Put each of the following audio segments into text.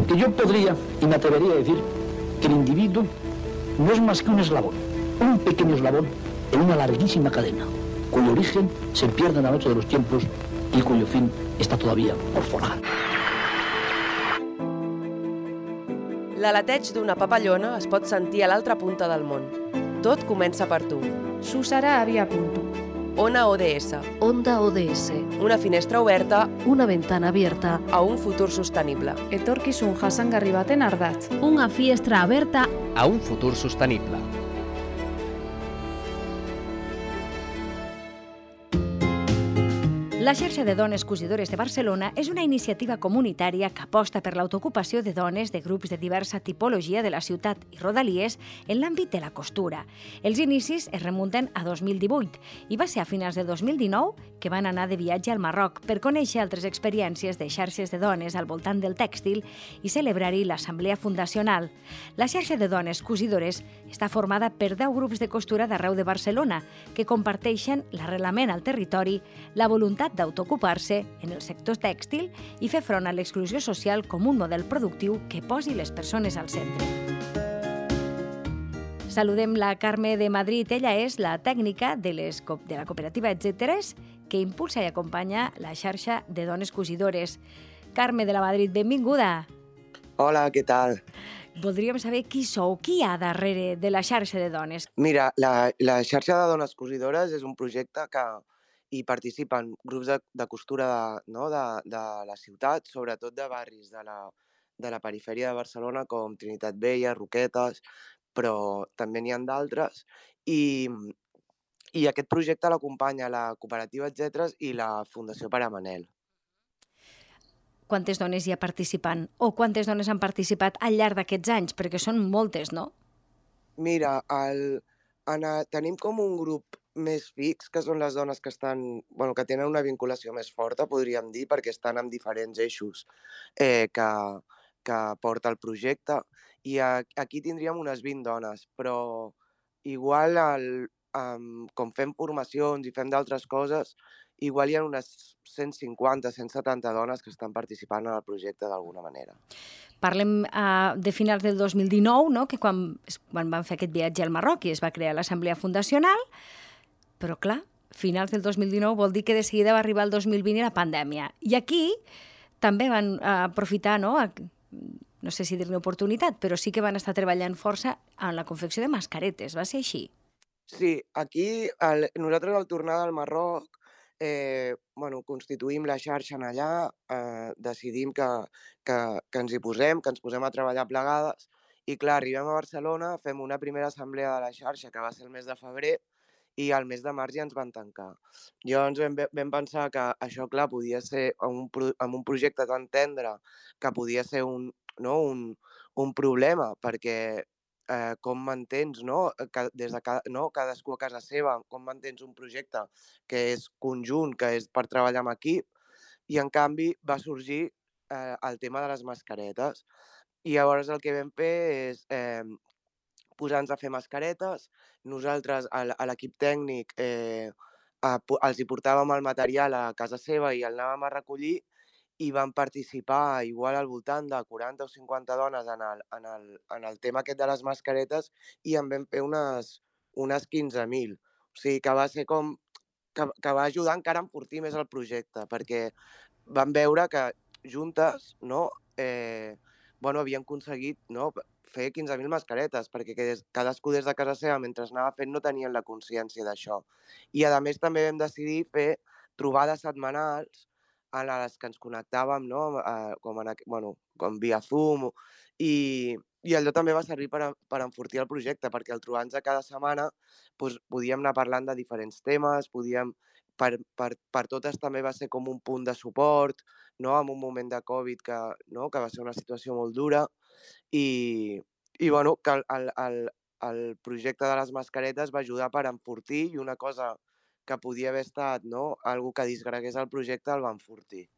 Porque yo podría y me atrevería a decir que el individuo no es más que un eslabón, un pequeño eslabón en una larguísima cadena, cuyo origen se pierde en la noche de los tiempos y cuyo fin está todavía por forjar. L'aleteig d'una papallona es pot sentir a l'altra punta del món. Tot comença per tu. Susara Aviapunto. Ona ODS. Onda ODS. Una finestra oberta Una ventana abierta a un futur sostenible. Etorkizun jasangarri baten ardatz. Una finestra aberta a un futur sostenible. La xarxa de dones cosidores de Barcelona és una iniciativa comunitària que aposta per l'autoocupació de dones de grups de diversa tipologia de la ciutat i rodalies en l'àmbit de la costura. Els inicis es remunten a 2018 i va ser a finals de 2019 que van anar de viatge al Marroc per conèixer altres experiències de xarxes de dones al voltant del tèxtil i celebrar-hi l'assemblea fundacional. La xarxa de dones cosidores està formada per 10 grups de costura d'arreu de Barcelona que comparteixen l'arrelament al territori, la voluntat d'autoocupar-se en el sector tèxtil i fer front a l'exclusió social com un model productiu que posi les persones al centre. Saludem la Carme de Madrid. Ella és la tècnica de la cooperativa Etcèteres que impulsa i acompanya la xarxa de dones cosidores. Carme de la Madrid, benvinguda. Hola, què tal? Voldríem saber qui sou, qui hi ha darrere de la xarxa de dones. Mira, la xarxa de dones cosidores és un projecte que hi participen grups de costura de la ciutat, sobretot de barris de la perifèria de Barcelona, com Trinitat Vella, Roquetes, però també n'hi ha d'altres. I aquest projecte l'acompanya la cooperativa Etcèteres i la Fundació Pare Manel. Quantes dones hi ha participant? O quantes dones han participat al llarg d'aquests anys? Perquè són moltes, no? Mira, tenim com un grup més fix, que són les dones que que tenen una vinculació més forta, podríem dir, perquè estan en diferents eixos que porta el projecte. I aquí tindríem unes 20 dones, però igual com fem formacions i fem d'altres coses, igual hi ha unes 150, 170 dones que estan participant en el projecte d'alguna manera. Parlem de finals del 2019, no? Que quan van fer aquest viatge al Marroc i es va crear l'assemblea fundacional, però clar, finals del 2019 vol dir que de seguida va arribar el 2020 i la pandèmia. I aquí també van aprofitar, no sé si dir-ne oportunitat, però sí que van estar treballant força en la confecció de mascaretes. Va ser així? Sí, aquí nosaltres al tornar del Marroc constituïm la xarxa allà, decidim que ens hi posem, que ens posem a treballar plegades i clar, arribem a Barcelona, fem una primera assemblea de la xarxa que va ser el mes de febrer i al mes de març ja ens van tancar. Llavors vam pensar que això, clar, podia ser amb un projecte tan tendre que podia ser un problema, perquè com mantens, des de cadascú a casa seva, com mantens un projecte que és conjunt, que és per treballar amb equip, i en canvi va sorgir el tema de les mascaretes. I llavors el que vam fer és posar-nos a fer mascaretes. Nosaltres, a l'equip tècnic, els hi portàvem el material a casa seva i el anàvem a recollir i van participar igual al voltant de 40 o 50 dones en el tema aquest de les mascaretes i en vam fer unes 15.000. O sigui que va ser com que va ajudar encara a enfortir més el projecte, perquè vam veure que juntes havien aconseguit fer 15.000 mascaretes, perquè cadascú des de casa seva, mentre anava fent, no tenien la consciència d'això. I a més també vam decidir fer trobades setmanals en les que ens connectàvem com via Zoom i allò també va servir per enfortir el projecte, perquè al trobar-nos cada setmana podíem anar parlant de diferents temes, per totes també va ser com un punt de suport, en un moment de Covid que va ser una situació molt dura i que el projecte de les mascaretes va ajudar per enfortir i una cosa que podia haver estat algú que disgregués el projecte el va enfortir.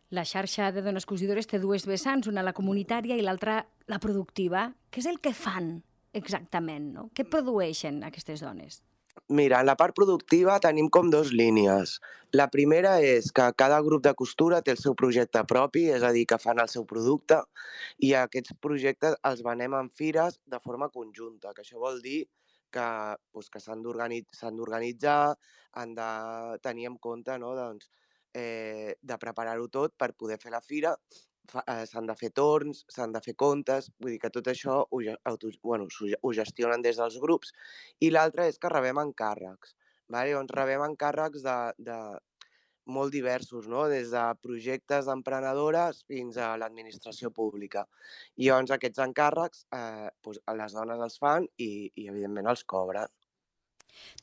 La xarxa de dones cosidores té dues vessants, una la comunitària i l'altra la productiva. Què és el que fan exactament? Què produeixen aquestes dones? Mira, en la part productiva tenim com dues línies. La primera és que cada grup de costura té el seu projecte propi, és a dir, que fan el seu producte, i aquests projectes els venem en fires de forma conjunta, que això vol dir que, que s'han d'organitzar, han de tenir en compte, no, doncs, de preparar-ho tot per poder fer la fira, s'han de fer torns, s'han de fer comptes, vull dir que tot això ho gestionen des dels grups. I l'altra és que rebem encàrrecs. Llavors rebem encàrrecs de molt diversos, no? Des de projectes d'emprenedores fins a l'administració pública. I llavors aquests encàrrecs les dones els fan i evidentment els cobren.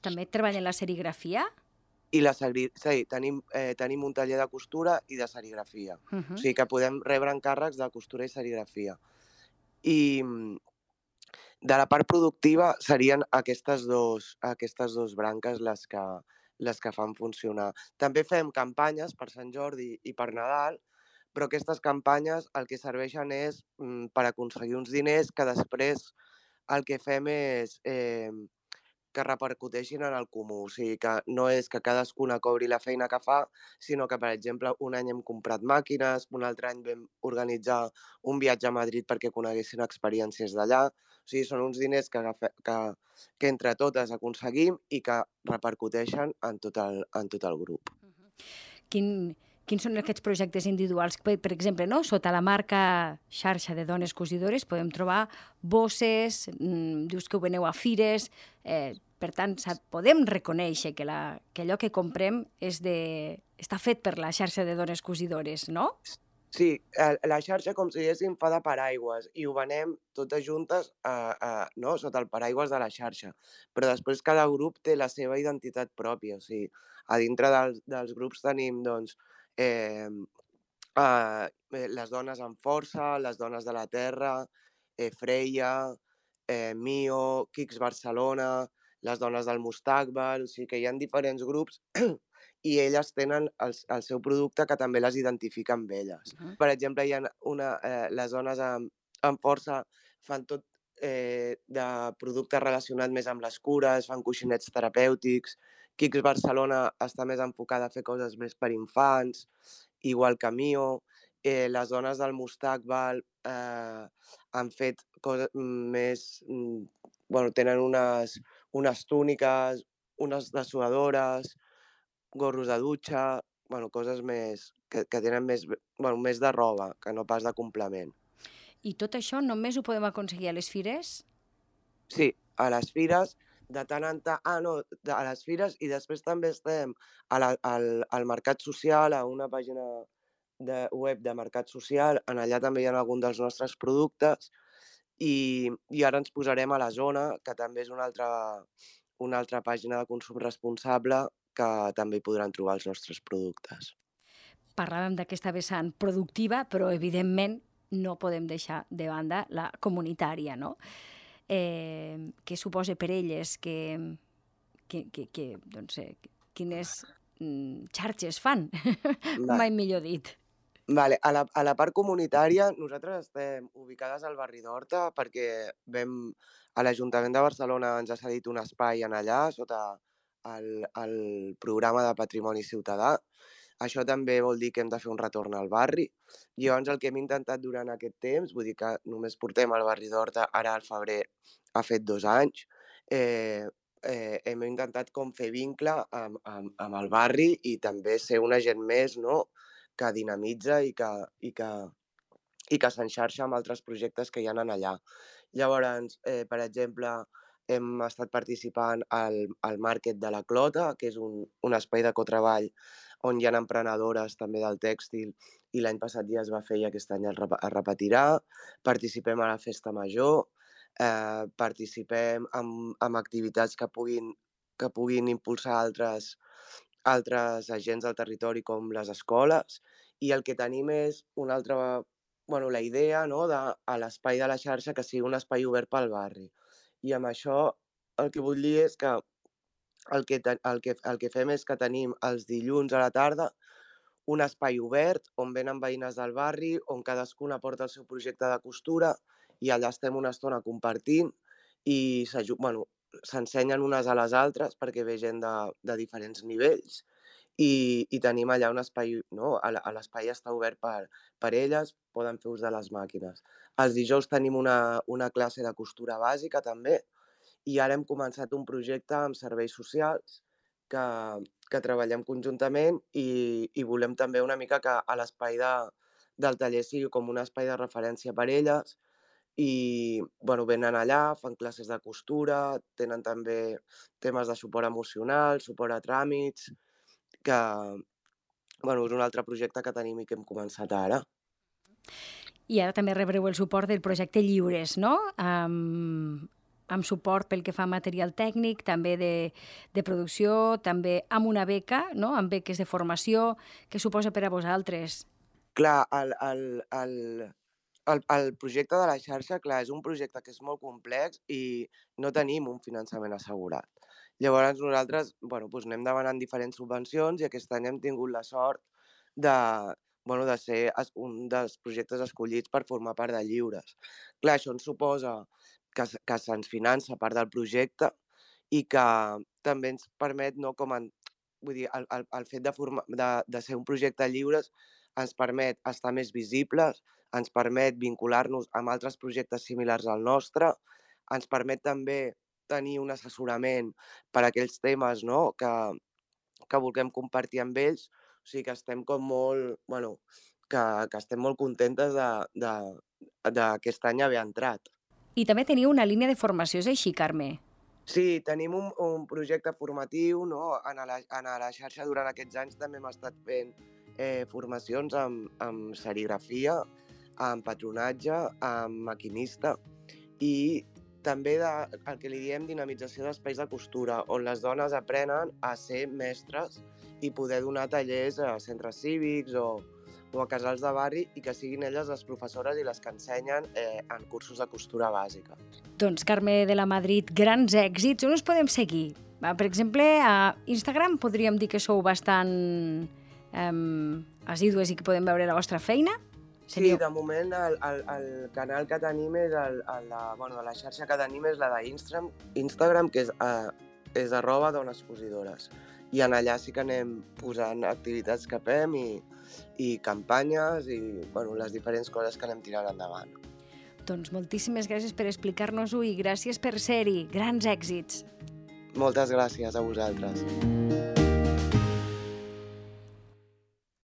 També treballen la serigrafia? I sí, tenim un taller de costura i de serigrafia. O sigui que podem rebre encàrrecs de costura i serigrafia. I de la part productiva serien aquestes dos branques les que fan funcionar. També fem campanyes per Sant Jordi i per Nadal, però aquestes campanyes el que serveixen és per aconseguir uns diners que després el que fem és que repercuteixin en el comú. O sigui, que no és que cadascuna cobri la feina que fa, sinó que, per exemple, un any hem comprat màquines, un altre any vam organitzar un viatge a Madrid perquè coneguessin experiències d'allà. O sigui, són uns diners que entre totes aconseguim i que repercuteixen en tot el grup. Quins són aquests projectes individuals? Per exemple, no? Sota la marca xarxa de dones cosidores podem trobar bosses, dius que ho veneu a fires, per tant, podem reconèixer que allò que comprem està fet per la xarxa de dones cosidores, no? Sí, la xarxa, com si diguéssim, fa de paraigües i ho venem totes juntes no? Sota el paraigües de la xarxa. Però després cada grup té la seva identitat pròpia. O sigui, a dintre dels grups tenim, doncs, les dones amb força, les dones de la terra, Freia, Mio, Kicks Barcelona, les dones del Mustaqbal, o sigui que hi ha diferents grups i elles tenen el seu producte que també les identifica amb elles. Per exemple, hi ha les dones amb força fan tot de producte relacionat més amb les cures, fan coixinets terapèutics. Kicks Barcelona està més enfocada a fer coses més per infants, igual que Mio. Les dones del Mustaqbal han fet coses més... tenen unes túniques, unes dessuadores, gorros de dutxa, coses més que tenen més de roba, que no pas de complement. I tot això només ho podem aconseguir a les fires? Sí, a les fires, de tant en tant... a les fires, i després també estem al Mercat Social, a una pàgina web de Mercat Social, en allà també hi ha alguns dels nostres productes, i ara ens posarem a la Zona, que també és una altra pàgina de consum responsable, que també hi podran trobar els nostres productes. Parlàvem d'aquesta vessant productiva, però evidentment no podem deixar de banda la comunitària, no? Què suposa per elles quines xarxes fan, mai millor dit. Vale. A la part comunitària, nosaltres estem ubicades al barri d'Horta perquè l'Ajuntament de Barcelona ens ha cedit un espai en allà sota el programa de Patrimoni Ciutadà. Això també vol dir que hem de fer un retorn al barri. Llavors, el que hem intentat durant aquest temps, vull dir que només portem al barri d'Horta, ara al febrer ha fet 2 anys, hem intentat com fer vincle amb el barri i també ser un agent més, no?, que dinamitza i que s'enxarxa amb altres projectes que hi ha allà. Llavors, per exemple, hem estat participant al Market de la Clota, que és un espai de cotreball on hi ha emprenedores també del tèxtil, i l'any passat ja es va fer i aquest any es repetirà. Participem a la Festa Major, participem en activitats que puguin impulsar altres agents del territori com les escoles, i el que tenim és una altra... la idea, no?, a l'espai de la xarxa que sigui un espai obert pel barri. I amb això el que vull dir és que el que fem és que tenim els dilluns a la tarda un espai obert on venen veïnes del barri, on cadascuna porta el seu projecte de costura i allà estem una estona compartint i s'ensenyen unes a les altres perquè ve gent de diferents nivells i tenim allà un espai, no? L'espai està obert per elles, poden fer ús de les màquines. Els dijous tenim una classe de costura bàsica també i ara hem començat un projecte amb serveis socials que treballem conjuntament i volem també una mica que a l'espai del taller sigui com un espai de referència per elles i venen allà, fan classes de costura, tenen també temes de suport emocional, suport a tràmits, que és un altre projecte que tenim i que hem començat ara. I ara també rebreu el suport del projecte Lliures, no? Amb suport pel que fa a material tècnic, també de producció, també amb una beca, no? Amb beques de formació. Què suposa per a vosaltres? Clar, el projecte de la xarxa, clar, és un projecte que és molt complex i no tenim un finançament assegurat. Llavors nosaltres anem demanant diferents subvencions i aquest any hem tingut la sort de ser un dels projectes escollits per formar part de Lliures. Clar, això ens suposa que se'ns finança part del projecte i que també ens permet, no, el fet de ser un projecte Lliures ens permet estar més visibles, ens permet vincular-nos amb altres projectes similars al nostre, ens permet també tenir un assessorament per a aquells temes, no, que vulguem compartir amb ells. O sigui que estem com molt, que estem molt contentes d'aquest any haver entrat. I també teniu una línia de formació, és així, Carme? Sí, tenim un projecte formatiu, no? A la xarxa durant aquests anys també hem estat fent formacions amb serigrafia, amb patronatge, amb maquinista i també el que li diem dinamització d'espais de costura, on les dones aprenen a ser mestres i poder donar tallers a centres cívics o a casals de barri i que siguin elles les professores i les que ensenyen en cursos de costura bàsica. Doncs, Carme de la Madrid, grans èxits. On us podem seguir? Per exemple, a Instagram podríem dir que sou bastant assídues i que podem veure la vostra feina? Sí, de moment el canal que tenim és la xarxa que tenim és la d'Instagram, que és @donescosidores. I en allà sí que anem posant activitats que fem i campanyes i les diferents coses que anem tirant endavant. Doncs moltíssimes gràcies per explicar-nos-ho i gràcies per ser-hi. Grans èxits! Moltes gràcies a vosaltres.